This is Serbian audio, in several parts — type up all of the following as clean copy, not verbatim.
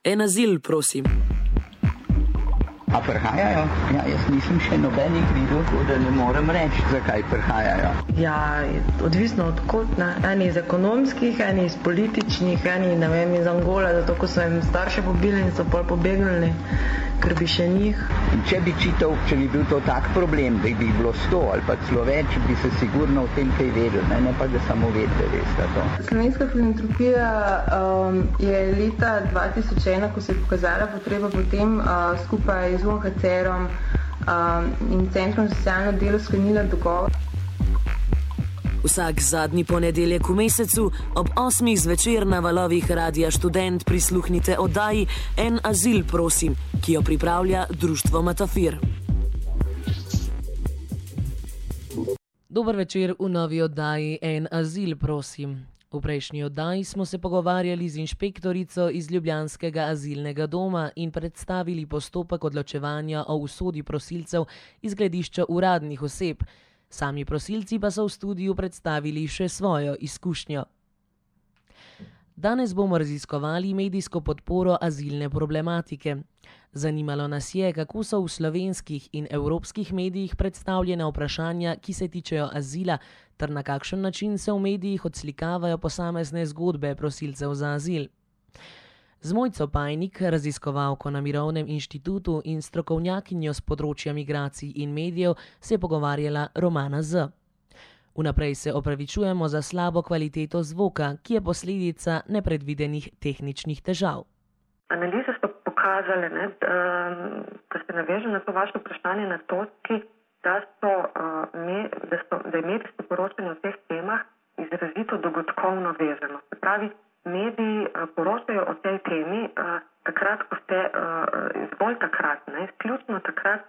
En azil, prosim. A prihajajo? Ja, jaz nisem še nobenih videl, da ne morem reči, zakaj prihajajo. Ja, odvisno od kod, ne. Eni iz ekonomskih, eni iz političnih, eni, ne vem, iz Angole, zato ko so jim starše pobili in so pol pobegnili, ker bi še njih. In če bi čital, če bi bil to tak problem, da bi jih bilo 100 ali pa celo več, bi se sigurno o tem kaj vedel, ne pa da samo vedeli, veste to. Slovenska filantropija je leta 2001, ko se je pokazala potreba potem skupaj z UNHCR-om in Centrom za socialno delo sklenila dogovor. Vsak zadnji ponedeljek v mesecu ob 8. zvečer na valovih Radia Študent prisluhnite oddaji En azil, prosim, ki jo pripravlja Društvo Matafir. Dober večer v novi oddaji En azil, prosim. V prejšnji oddaji smo se pogovarjali z inšpektorico iz ljubljanskega azilnega doma in predstavili postopek odločevanja o usodi prosilcev iz gledišča uradnih oseb. Sami prosilci pa so v studiu predstavili še svojo izkušnjo. Danes bomo raziskovali medijsko podporo azilne problematike. Zanimalo nas je, kako so v slovenskih in evropskih medijih predstavljena vprašanja, ki se tičejo azila, ter na kakšen način se v medijih odslikavajo posamezne zgodbe prosilcev za azil. Z Mojco Pajnik, raziskovalko na Mirovnem inštitutu in strokovnjakinjo z področja migracij in medijev, se je pogovarjala Romana Z. Vnaprej se opravičujemo za slabo kvaliteto zvoka, ki je posledica nepredvidenih tehničnih težav. Analize so pokazale, da se navežem na to vaše vprašanje na točki, da je medijsko poročanje o teh temah izrazito dogodkovno vezano. Se pravi, mediji poročajo o tej temi takrat, zgolj takrat, izključno takrat,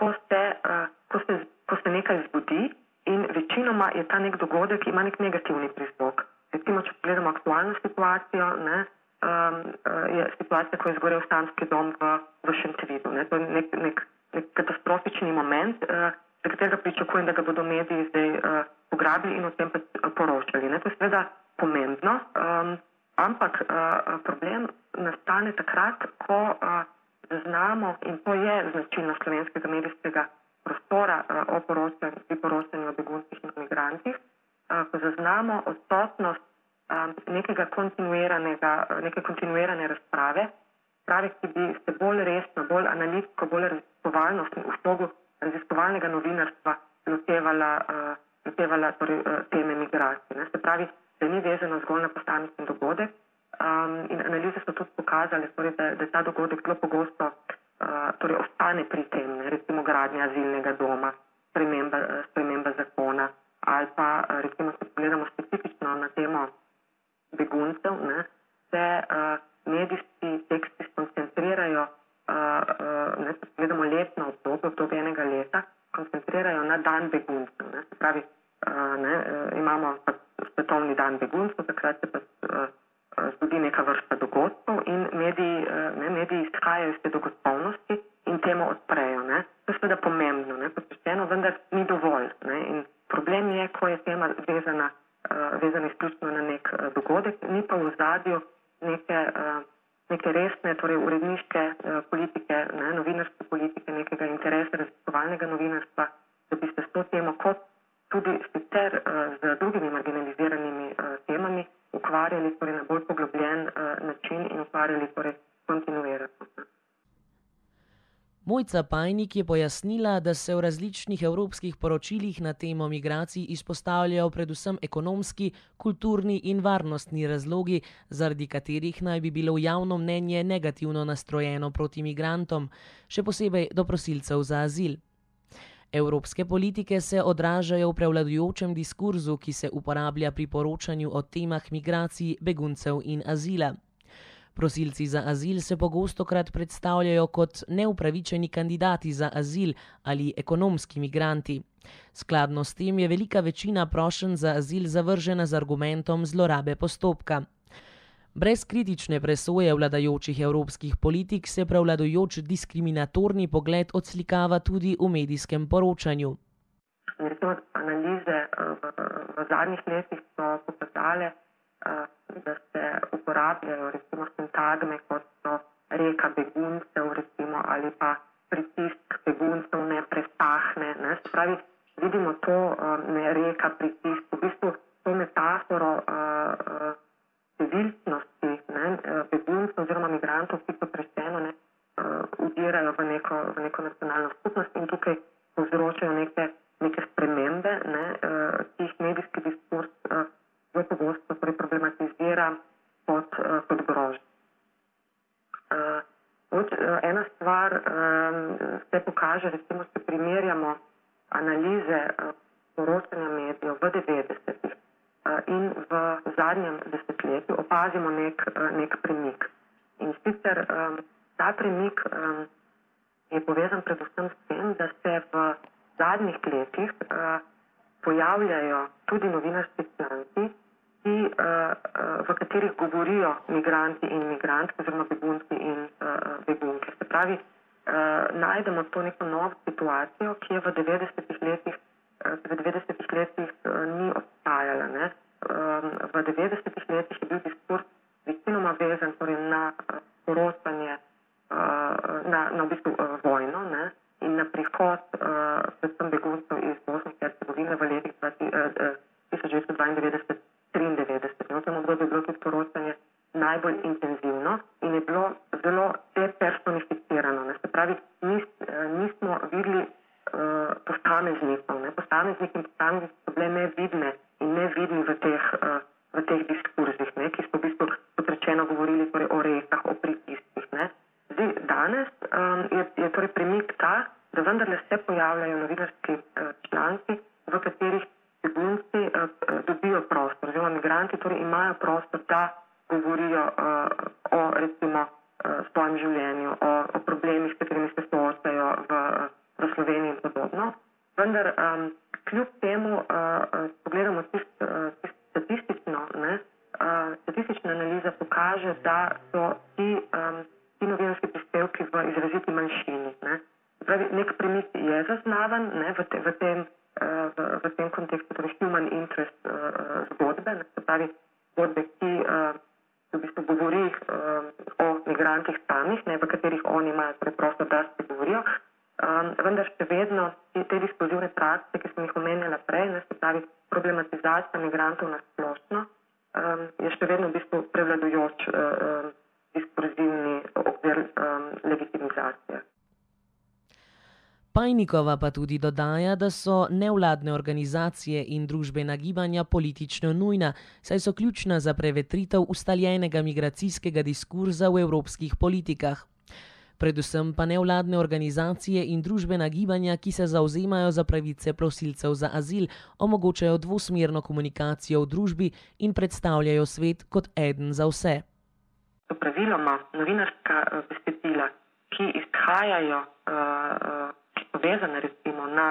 ko se nekaj zgodi in večinoma je ta nek dogodek, ima nek negativni prizvok. Recimo, če pogledamo aktualno situacijo, je situacija, ko je zgorel stanski dom v Šentvidu. To je nek katastrofični moment, za katerega pričakujem, da ga bodo mediji zdaj pograbili in o tem poročali. To je seveda pomembno, ampak problem nastane takrat, ko zaznamo, in to je značilnost slovenskega medijskega prostora pri poročanju o beguncih in migrantih, ko zaznamo odsotnost neke kontinuirane razprave, ki bi se bolj resno, bolj analitsko, bolj raziskovalno v slogu raziskovalnega novinarstva lotevala teme migracij. Se pravi, da ni vezano zgolj na posamičen dogodek in analize so tudi pokazale, da ta dogodek zelo pogosto ostane pri tem, recimo gradnja azilnega doma, sprememba zakona ali pa recimo, če pogledamo specifično na temo beguncev, se medijski teksti skoncentrirajo, če pogledamo letno obdobje enega leta, koncentrirajo na dan beguncev. Se pravi, imamo svetovni dan beguncev, takrat se pa zgodi neka vrsta dogodkov in mediji izhajajo iz te dogodkovnosti in temo odprejo. To je seveda pomembno, posvečeno, vendar ni dovolj. In problem je, ko je tema vezana izključno na nek dogodek, ni pa v ozadju neke resne, torej uredniške politike, novinarske politike, nekega interesa raziskovalnega novinarstva, da bi se s to temo kot tudi sicer z drugimi marginaliziranimi temami ukvarjali na bolj poglobljen način in ukvarjali kontinuirano. Mojca Pajnik je pojasnila, da se v različnih evropskih poročilih na temo migracij izpostavljajo predvsem ekonomski, kulturni in varnostni razlogi, zaradi katerih naj bi bilo javno mnenje negativno nastrojeno proti migrantom, še posebej do prosilcev za azil. Evropske politike se odražajo v prevladujočem diskurzu, ki se uporablja pri poročanju o temah migracij, beguncev in azila. Prosilci za azil se pogostokrat predstavljajo kot neupravičeni kandidati za azil ali ekonomski migranti. Skladno s tem je velika večina prošenj za azil zavržena z argumentom zlorabe postopka. Brez kritične presoje vladajočih evropskih politik se prevladujoč diskriminatorni pogled odslikava tudi v medijskem poročanju. Recimo, analize v zadnjih letih so pokazale, da se uporabljajo recimo sintagme, kot so reka beguncev, recimo, ali pa pritisk beguncev ne presahne. Ne? Se pravi, vidimo to ne reka pritisk, v bistvu to metaforo civilnosti beguncev oziroma migrantov, ki so prešeno udirajo v neko nacionalno skupnost in tukaj povzročajo neke spremembe, ki jih medijski diskurs zelo pogosto problematizira kot grožnjo. Ena stvar se pokaže, recimo, če primerjamo analize poročanja medijev v 90-ih in v zadnjem desetletju, opazimo nek premik. In sicer ta premik je povezan predvsem s tem, da se v zadnjih letih pojavljajo tudi novinarski članki, v katerih govorijo migranti in migrantke oziroma begunci in begunke. Se pravi, najdemo to neko novo situacijo, ki je v 90-ih letih ni obstajala. Ne? V 90-ih letih je bil diskurs večinoma vezan torej na poročanje, na v bistvu vojno, ne? In na prihod predvsem beguncev iz Bosne in Hercegovine v letih 1992-93. V tem obdobju je bilo tudi poročanje najbolj intenzivno in je bilo zelo depersonificirano. Ne? Se pravi, nismo videli posameznikov. Posamezniki in posamezniki so bile nevidne in nevidni v teh diskurzih, ki so v bistvu, kot rečeno, govorili torej o rekah, o pritiskih. Zdaj, danes je torej premik ta, da vendarle se pojavljajo novinarski članki, v katerih begunci dobijo prostor, oziroma migranti torej imajo prostor, da govorijo o recimo svojem življenju, o problemih, s katerimi se soočajo v Sloveniji in podobno. Vendar kljub temu, pogledamo statistično, statistična analiza pokaže, da so ti novinarski prispevki v izraziti manjšini. Pravi, nek premik je zaznavan v tem kontekstu, torej human interest zgodbe, se pravi zgodbe, ki v bistvu govori o migrantih samih, v katerih oni imajo preprosto, da se govorijo. Vendar še vedno te diskurzivne prakse, ki sem jih omenjala prej, se pravi problematizacija migrantov na splošno, je še vedno v bistvu prevladujoč diskurzivni okvir legitimizacije. Pajnikova pa tudi dodaja, da so nevladne organizacije in družbena gibanja politično nujna, saj so ključna za prevetritev ustaljenega migracijskega diskurza v evropskih politikah. Predvsem pa nevladne organizacije in družbena gibanja, ki se zavzemajo za pravice prosilcev za azil, omogočajo dvosmerno komunikacijo v družbi in predstavljajo svet kot eden za vse. Praviloma novinarska besedila, ki izhajajo, ki so vezane recimo na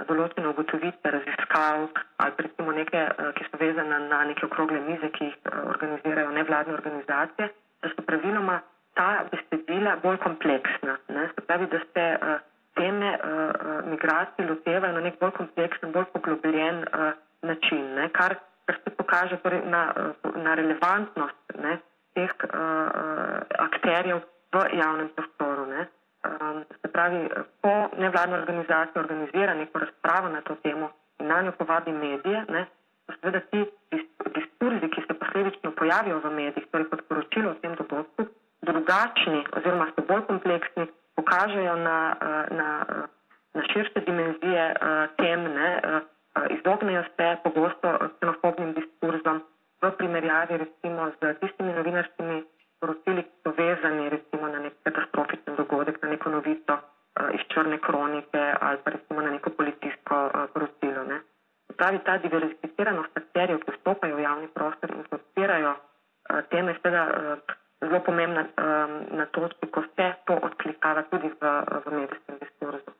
določene ugotovitve raziskav ali recimo neke, ki so vezane na neke okrogle mize, ki jih organizirajo nevladne organizacije, da so praviloma ta besedila bolj kompleksna. Se pravi, da se teme migracij lotevajo na nek bolj kompleksen, bolj poglobljen način, kar se pokaže torej na relevantnost teh akterjev v javnem prostoru. Se pravi, ko nevladna organizacija organizira neko razpravo na to temo in na njo povabi medije, so seveda ti diskurzi, ki se posledično pojavijo v medijih, torej kot poročilo o tem dogodku, drugačni oziroma so bolj kompleksni, pokažejo na širše dimenzije tem, izognejo se pogosto ksenofobnim diskurzom v primerjavi recimo z tistimi novinarskimi poročili, ki so vezani recimo na nek katastrofičen dogodek, na neko novico iz črne kronike ali pa recimo na neko policijsko poročilo. Pravi, ta diverzificiranost akterjev, ki vstopajo v javni prostor in podpirajo teme, je seveda zelo pomembna na točki, ko se to odklikava tudi v medijskem diskurzu.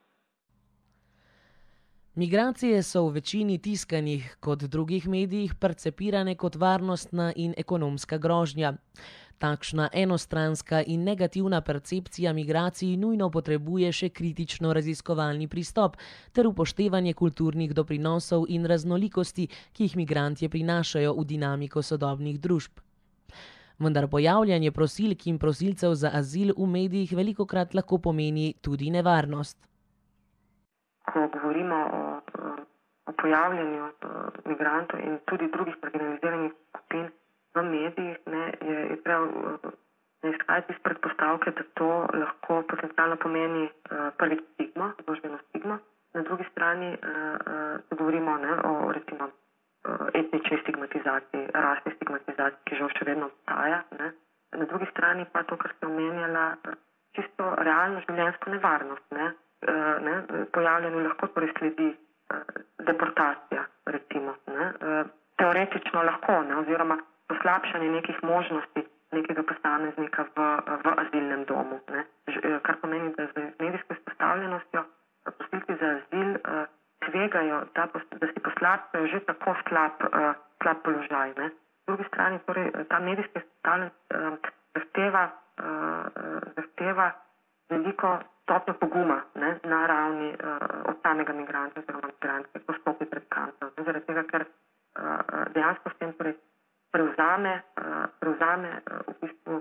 Migracije so v večini tiskanih kot drugih medijih percepirane kot varnostna in ekonomska grožnja. Takšna enostranska in negativna percepcija migracij nujno potrebuje še kritično raziskovalni pristop ter upoštevanje kulturnih doprinosov in raznolikosti, ki jih migrantje prinašajo v dinamiko sodobnih družb. Vendar pojavljanje prosilk in prosilcev za azil v medijih velikokrat lahko pomeni tudi nevarnost. Ko govorimo o pojavljanju migrantov in tudi drugih marginaliziranih skupin v medijih, je treba izhajati iz predpostavke, da to lahko potencialno pomeni prvi stigmo, družbeno stigmo. Na drugi strani govorimo o recimo etnični stigmatizaciji, rasni stigmatizaciji, ki žal še vedno obstaja. Na drugi strani pa to, kar ste omenjala, čisto realno življenjsko nevarnost. Pojavljanju lahko torej sledi deportacija, recimo. Teoretično lahko, oziroma poslabšanje nekih možnosti nekega posameznika v azilnem domu. Kar pomeni, da z medijsko izpostavljenostjo prosilci za azil tvegajo, da si poslabšajo že tako slab položaj. Z druge strani, torej, ta medijska izpostavljenost zahteva veliko stopnjo poguma na ravni od samega migranta oziroma migrantke, ko stopi pred kamero. Zaradi tega, ker dejansko s tem torej prevzame v bistvu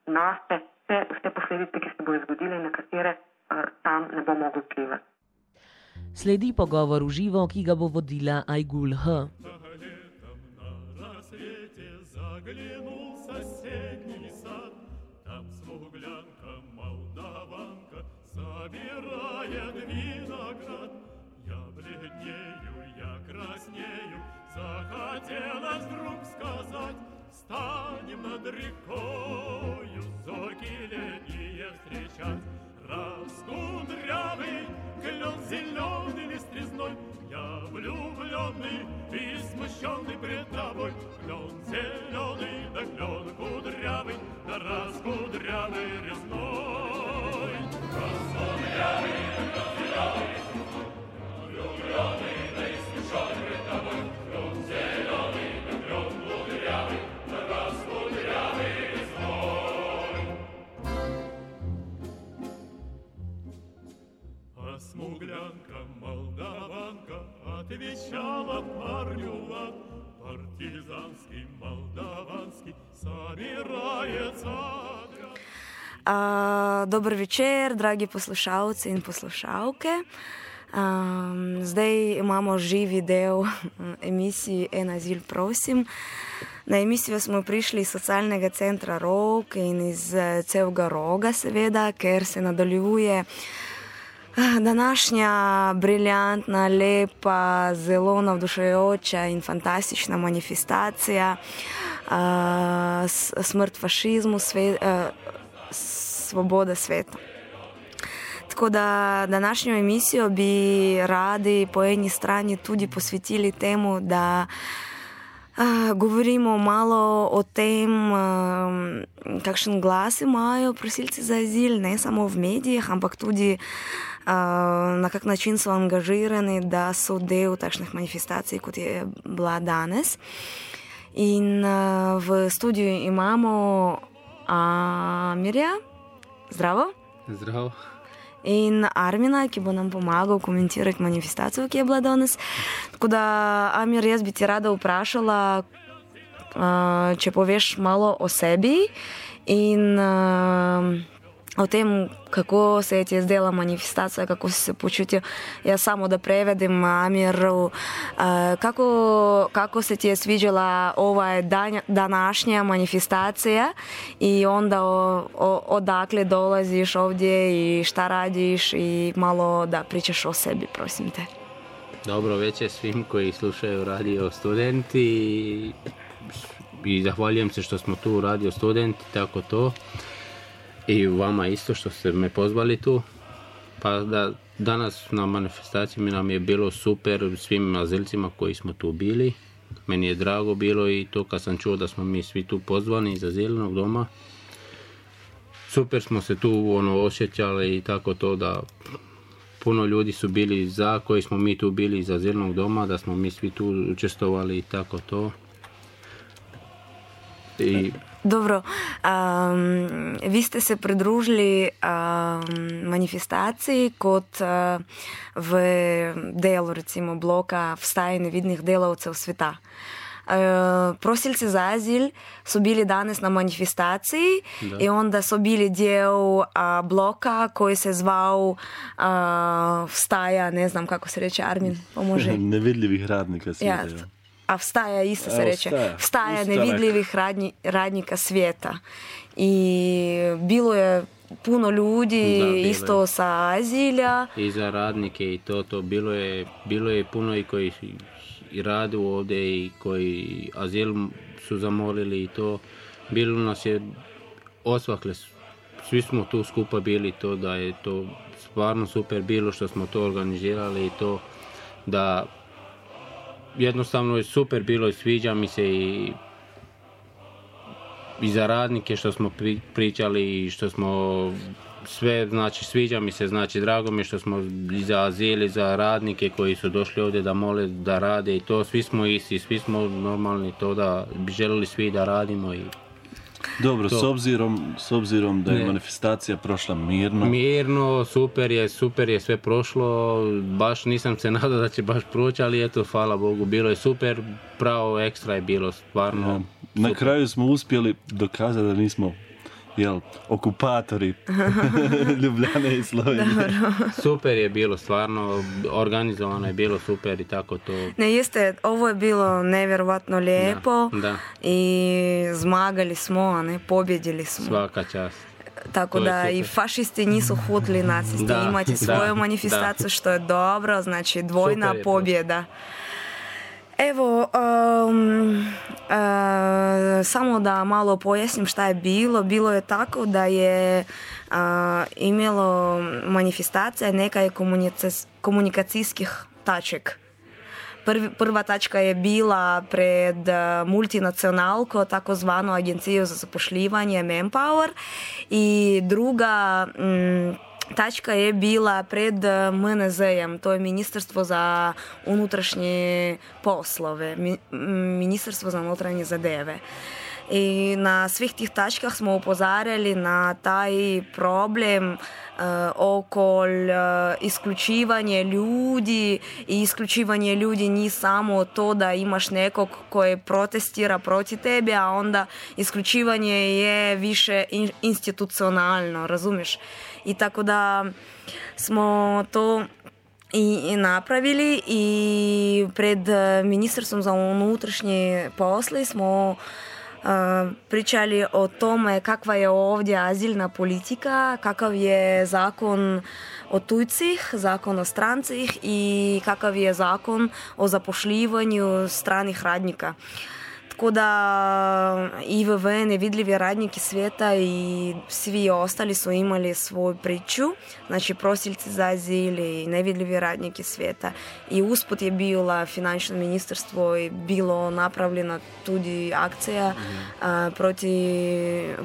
nase vse posledice, ki se bodo zgodile in na katere tam ne bo mogel vplivati. Sledi pogovor v živo, ki ga bo vodila Ajgul H. Захотелось вдруг сказать, станем над рекою зорьки летние встречать. Раскудрявый клен зеленый лист резной, я влюбленный и смущенный пред тобой. Клен зеленый, да клен кудрявый, да раскудрявый резной. Раскудрявый, клен зеленый, влюбленный, да и смущенный пред тобой. Клен зеленый, да клен кудрявый, да раскудрявый резной. А смуглянка молдаванка отвечала парню лад. Партизанский, молдаванский собирается отряд. Dober večer, dragi poslušalci in poslušalke. Zdaj imamo živi del emisiji En azil prosim. Na emisijo smo prišli iz socialnega centra Rog in iz celega Roga seveda, ker se nadaljuje današnja briljantna, lepa, zelo navdušujoča in fantastična manifestacija smrt fašizmu, svoboda sveta. Tako da današnjo emisijo bi radi po eni strani tudi posvetili temu, da govorimo malo o tem, kakšen glas imajo prosilci za azil, ne samo v medijih, ampak tudi na kak način so angažirani, da so del takšnih manifestacij, kot je bila danes. In v studiu imamo Amirja. Zdravo. Zdravo. In Armina, ki bo nam pomagal komentirati manifestacijo, ki je bila danes. Tako da, Amir, jaz bi ti rada vprašala, če poveš malo o sebi in o tem, kako se je ti zdela manifestacija, kako si se počutil. Jaz samo da prevedem Amiru, kako se ti je sviđala ova današnja manifestacija i onda odakle dolaziš ovdje i šta radiš i malo da pričaš o sebi, prosim te. Dobro večer svim koji slušaju Radio Studenti i zahvaljujem se što smo tu u Radio Studenti, tako to. I vama isto što ste me pozvali tu. Pa da danas na manifestaciji nam je bilo super svim azilcima koji smo tu bili. Meni je drago bilo i to kad sam čuo da smo mi svi tu pozvani iz azilnog doma. Super smo se tu osjećali i tako to da puno ljudi su bili za, koji smo mi tu bili iz azilnog doma, da smo mi svi tu učestvovali i tako to. Dobro, vi ste se pridružili manifestaciji kot v delu recimo bloka Vstaj nevidnih delavcev sveta. prosilci za azil su bili danas na manifestaciji i onda su bili dio bloka koji se zvao Vstaja, ne znam kako se reče, Armin, pomože. Nevidljivih radnika svijeta. Ja. A Vstaja isto se reče. Vstaja nevidljivih radnika svijeta. I bilo je puno ljudi isto sa azilja. I za radnike i to bilo je puno i koji i rade ovdje i koji azil su zamolili i to. Bilo nas je osvakle, svi smo tu skupa bili, to da je to stvarno super bilo što smo to organizirali i to da jednostavno je super bilo i sviđa mi se i za radnike što smo pričali i što smo sve, znači sviđa mi se, znači drago mi je što smo i za azil i za radnike koji su došli ovdje da mole da rade i to, svi smo isti, svi smo normalni, to da bi želili svi da radimo i dobro, s obzirom da je manifestacija prošla mirno. Mirno, super je sve prošlo, baš nisam se nadao da će baš proći, ali eto, hvala Bogu, bilo je super, pravo ekstra je bilo, stvarno. Na kraju smo uspjeli dokazati da nismo okupatori Ljubljane i Slovenije. Super je bilo, stvarno, organizovano je bilo super i tako to. Ne, jeste, ovo je bilo nevjerovatno lijepo i zmagali smo, a ne, pobjedili smo. Svaka čast. Tako da i fašisti nisu hutili nacisti imati svoju manifestaciju, što je dobro, znači dvojna pobjeda. Evo, samo da malo pojasnim šta je bilo. Bilo je tako da je imelo manifestacija neka je komunikacijskih taček. Prva tačka je bila pred multinacionalko, takozvanu agenciju za zapošljivanje Manpower, i druga tačka je bila pred MNZ-em, to je Ministarstvo za unutrašnje poslove, Ministarstvo za unutarnje zadeve. I na svih tih tačkah smo upozarjali na taj problem oko isključivanje ljudi, i isključivanje ljudi nije samo to da imaš nekog koji protestira protiv tebe, a onda isključivanje je više institucionalno, razumiješ? I tako da smo to i napravili i pred Ministarstvom za unutrašnje posle smo pričali o tome kakva je ovdje azilna politika, kakav je zakon o tujcih, zakon o strancih i kakav je zakon o zapošljivanju stranih radnika. Tako da IVV, nevidljivi radniki svijeta i svi ostali su imali svoju priču, znači prosilci za azil i nevidljivi radniki svijeta. I usput je bilo finančno ministarstvo i bilo napravljena tudi akcija protiv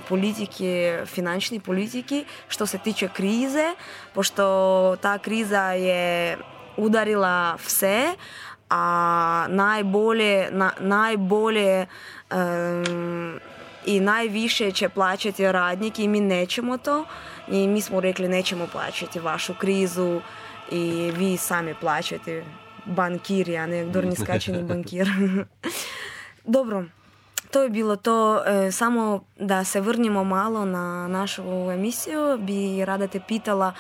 politike, finančne politike, što se tiče krize, pošto ta kriza je udarila vse, a najbolje i najviše će plaćati radnik i mi nećemo to, i mi smo rekli nećemo plaćati vašu krizu i vi sami plaćate, bankiri, a ne dorniskačeni bankir. Dobro, to je bilo to. Samo da se vrnimo malo na našu emisiju, bi rada te pitala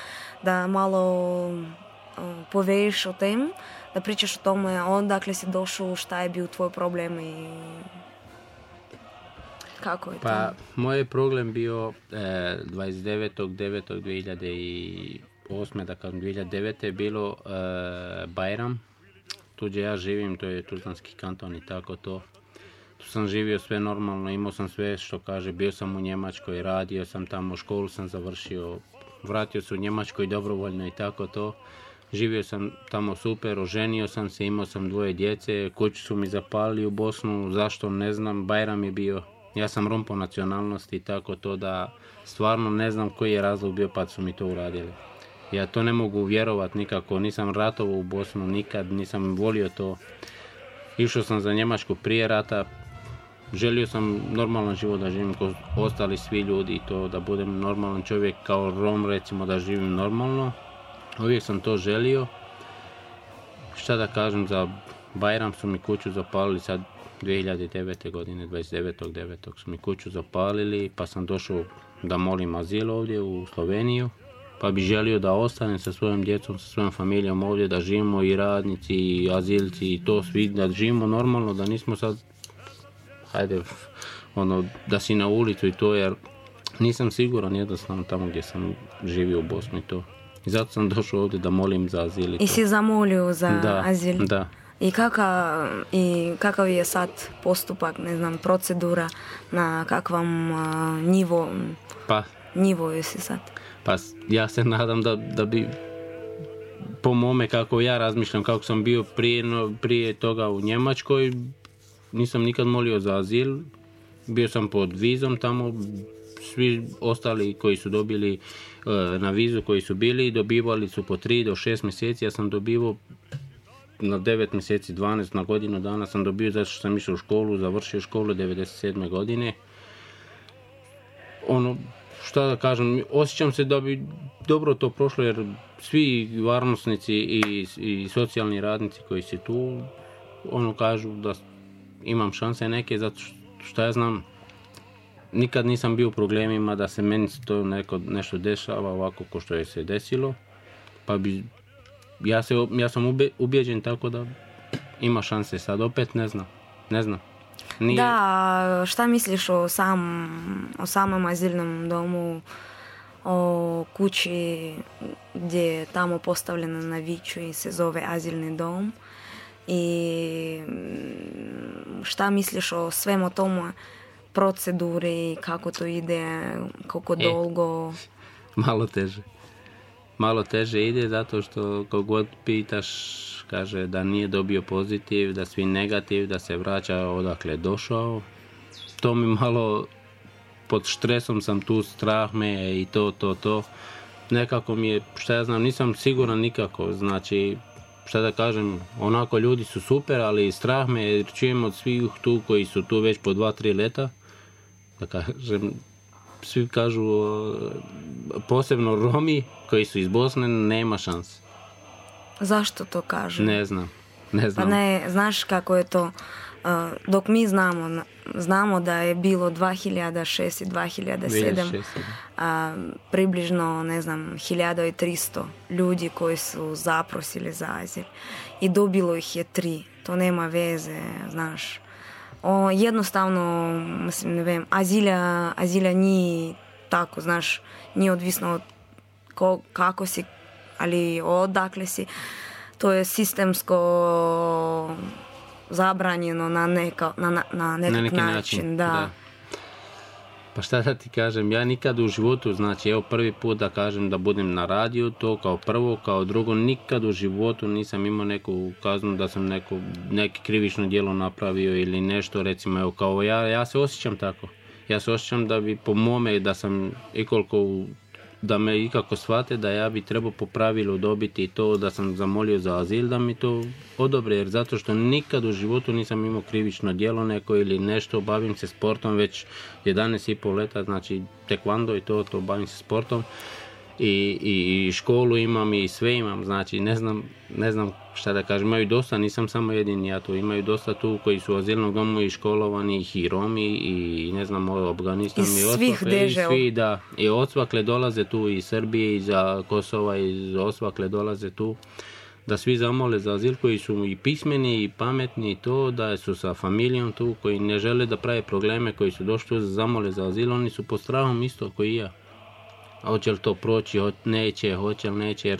da malo poveš o tem, da pričaš o tome odakle si došao, šta je bio tvoj problem i kako je to? Pa, moj problem bio 29.9.2008, da kažem 2009. je bilo Bajram. Tu gdje ja živim, to je Tuzlanski kanton i tako to. Tu sam živio sve normalno, imao sam sve što kaže, bio sam u Njemačkoj, radio sam tamo, školu sam završio, vratio se u Njemačkoj dobrovoljno i tako to. Živio sam tamo super, oženio sam se, imao sam 2 djece, kuću su mi zapalili u Bosnu, zašto ne znam, Bajram je bio, ja sam Rom po nacionalnosti i tako to, da stvarno ne znam koji je razlog bio pa su mi to uradili. Ja to ne mogu vjerovati nikako, nisam ratovao u Bosnu nikad, nisam volio to. Išao sam za Njemačku prije rata, želio sam normalan život da živim kao ostali svi ljudi i to, da budem normalan čovjek kao Rom, recimo, da živim normalno. Uvijek sam to želio. Šta da kažem, za Bajram su mi kuću zapalili, sad 2009. godine, 29.9. su mi kuću zapalili, pa sam došao da molim azil ovdje u Sloveniju, pa bi želio da ostanem sa svojom djecom, sa svojom familijom ovdje, da živimo i radnici, i azilci, i to svi, da živimo normalno, da nismo sad, da si na ulicu i to, jer nisam siguran jednostavno tamo gdje sam živio u Bosni i to. I zato sam došao ovdje da molim za azil i to. I si zamolio za azil? Da. I kakav je sad postupak, ne znam, procedura, na kakvom nivoju si sad? Pa ja se nadam da bi, po mome kako ja razmišljam, kako sam bio prije toga u Njemačkoj, nisam nikad molio za azil, bio sam pod vizom tamo, svi ostali koji su dobili na vizu, koji su bili, dobivali su po 3 do 6 mjeseci, ja sam dobivao na 9 mjeseci, 12, na godinu dana sam dobio, zato što sam išao u školu, završio školu 97. godine. Šta da kažem, osjećam se da bi dobro to prošlo, jer svi varnosnici i socijalni radnici koji su tu, kažu da imam šanse neke, zato što ja znam, nikad nisam bio u problemima da se meni to nešto dešava ovako ko što je se desilo, pa bi, ja sam ubijeđen tako da ima šanse, sad opet ne znam. Nije... Da, šta misliš o samom azilnom domu, o kući gdje je tamo postavljena na Viču i se zove azilni dom, i šta misliš o svemu tomu, proceduri, kako to ide, koliko dolgo? Malo teže ide, zato što kogod pitaš kaže da nije dobio pozitiv, da svi negativ, da se vraća odakle došao. To mi malo, pod štresom sam tu, strah me i to. Nekako mi je, šta ja znam, nisam siguran nikako, znači, šta da kažem, onako ljudi su super, ali strah me jer čujem od svih tu koji su tu već po 2-3 leta, da kažem, svi kažu, posebno Romi koji su iz Bosne, nema šanse. Zašto to kažu? Ne znam. Pa ne, znaš kako je to, dok mi znamo da je bilo 2006 i 2007 približno, ne znam, 1300 ljudi koji su zaprosili za azil i dobilo ih je 3. To nema veze, znaš. Jednostavno, mislim, ne vem, azilja nije tako, znaš, nije odvisno od kako si, ali odakle si. To je sistemsko zabranjeno na neki način. Da. Pa šta da ti kažem, ja nikad u životu, znači evo prvi put da kažem da budem na radiju, to kao prvo, kao drugo, nikad u životu nisam imao neku kaznu da sam neki krivično djelo napravio ili nešto, recimo evo kao ja se osjećam tako. Ja se osjećam da bi po mome, da sam da me ikako shvate da ja bi trebao po pravilu dobiti to da sam zamolio za azil, da mi to odobre, jer zato što nikad u životu nisam imao krivično djelo neko ili nešto, bavim se sportom već 11,5 leta, znači tekvando i to bavim se sportom i školu imam i sve imam, znači ne znam šta da kažem, imaju dosta, nisam samo jedini ja tu, imaju dosta tu koji su u azilnom domu i školovani, i Romi, i ne znam, Afganistan, i svih država. I odsvakle dolaze tu, i Srbije, i za Kosova, i odsvakle dolaze tu, da svi zamole za azil, koji su i pismeni i pametni, i to da su sa familijom tu, koji ne žele da prave probleme, koji su došli tu zamole za azil, oni su pod strahom isto koji i ja. A hoće li to proći, hoće li neće, jer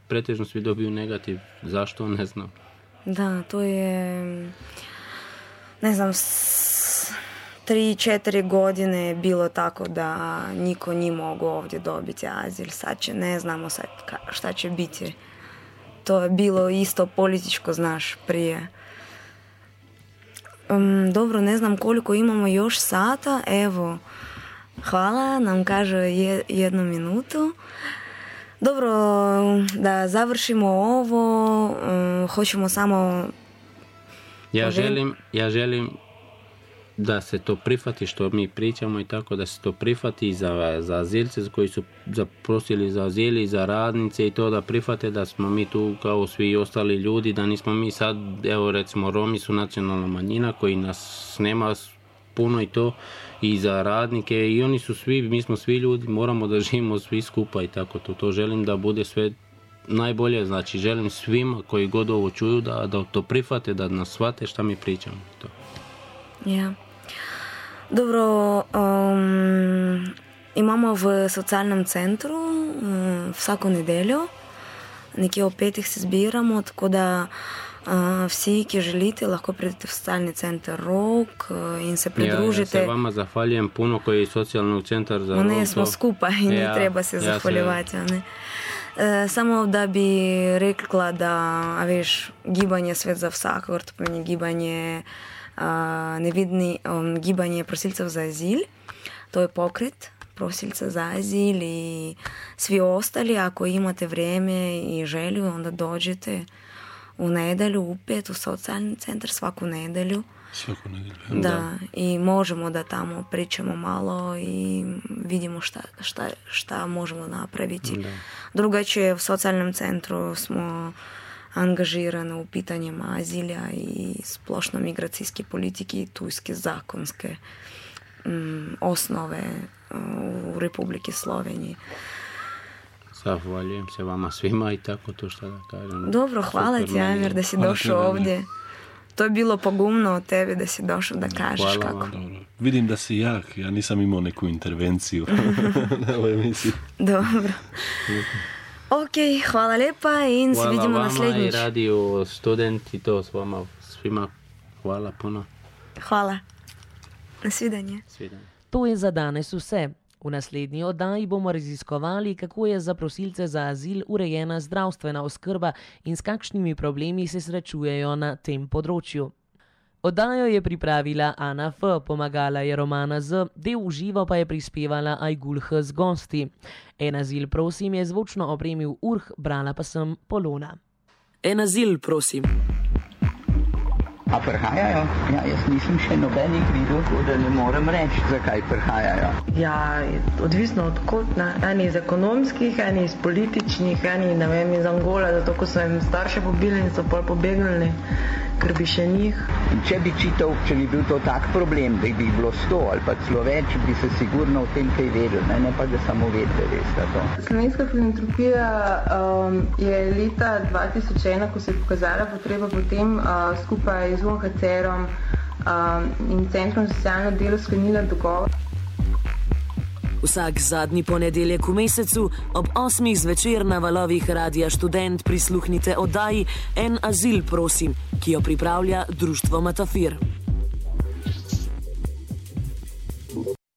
pretežno svi dobiju negativ. Zašto? Ne znam. Da, to je, ne znam, 3-4 godine je bilo tako da niko nije mogao ovdje dobiti azil. Sad ne znamo šta će biti. To je bilo isto političko, znaš, prije. Dobro, ne znam koliko imamo još sata. Evo, hvala, nam kaže 1 minutu. Dobro, da završimo ovo, hoćemo samo... Ja želim da se to prihvati što mi pričamo i tako, da se to prihvati za azilce koji su zaprosili za azil i za radnice i to da prihvate da smo mi tu kao svi ostali ljudi, da nismo mi sad, evo recimo Romi su nacionalna manjina koji nas nema puno i to, i za radnike i oni su svi, mi smo svi ljudi, moramo da živimo svi skupa i tako to želim da bude sve najbolje, znači želim svima koji god ovo čuju da to prihvate, da nas shvate šta mi pričamo. To. Ja. Dobro, imamo v socialnem centru vsako nedeljo, nekje o 5 se zbiramo, tako da vsi, ki želite, lahko pridete v socialni center Rog in se pridružite. Ja se vama zahvaljujem puno koji je socijalni centar za Rog. Ne, smo skupaj in ni treba se zahvaljevati. Ne? Samo da bi rekla, da veš, gibanje Svet za vsakogar, to pomeni gibanje gibanje prosilcev za azil, to je pokret prosilca za azil i svi ostali, ako imate vrijeme i želju, onda dođete u nedelju, u 5 u socijalni centar svaku nedelju. Svaku nedelju. Da, i možemo da tamo pričamo malo i vidimo šta možemo napraviti. Da. Drugačije u socijalnom centru smo angažirani u pitanjima azilja i splošno migracijske politike i tujske zakonske osnove u Republiki Sloveniji. Zahvaljujem se vama svima i tako to što da kažem. Dobro, hvala ti, Amir, da si došao ovdje. To je bilo pogumno od tebe da si došao da kažeš kako. Dobro. Vidim da si jak, ja nisam imao neku intervenciju na ovoj emisiji. Dobro. Ok, hvala lepa in se vidimo naslednjič. Hvala vama i Radio Student i to s vama svima. Hvala puno. Hvala. Nasvidenje. To je za danes vse. V naslednji oddaji bomo raziskovali, kako je za prosilce za azil urejena zdravstvena oskrba in s kakšnimi problemi se srečujejo na tem področju. Oddajo je pripravila Ana F., pomagala je Romana Z., del v živo pa je prispevala Ajgul H. z gosti. En azil, prosim, je zvočno opremil Urh, brala pa sem Polona. En azil, prosim. A prihajajo? Ja, jaz nisem še nobenih videl, da ne morem reči, zakaj prihajajo. Ja, odvisno od kot, ne? Eni iz ekonomskih, eni iz političnih, eni, ne vem, iz Angole, zato ko so jim starše pobili in so pol pobegnili, ker bi še njih. Če bi bil to tak problem, da bi jih bilo 100 ali pa celo več, bi se sigurno o tem kaj vedel, ne pa da samo vedeli, veste to. Slovenska filantropija je leta 2001, ko se je pokazala potreba potem skupaj z UNHCR-om in Centrom za socialno delo sklenila dogovor. Vsak zadnji ponedeljek v mesecu ob 8 zvečer na valovih Radia Študent prisluhnite oddaji En azil, prosim, ki jo pripravlja društvo Matafir.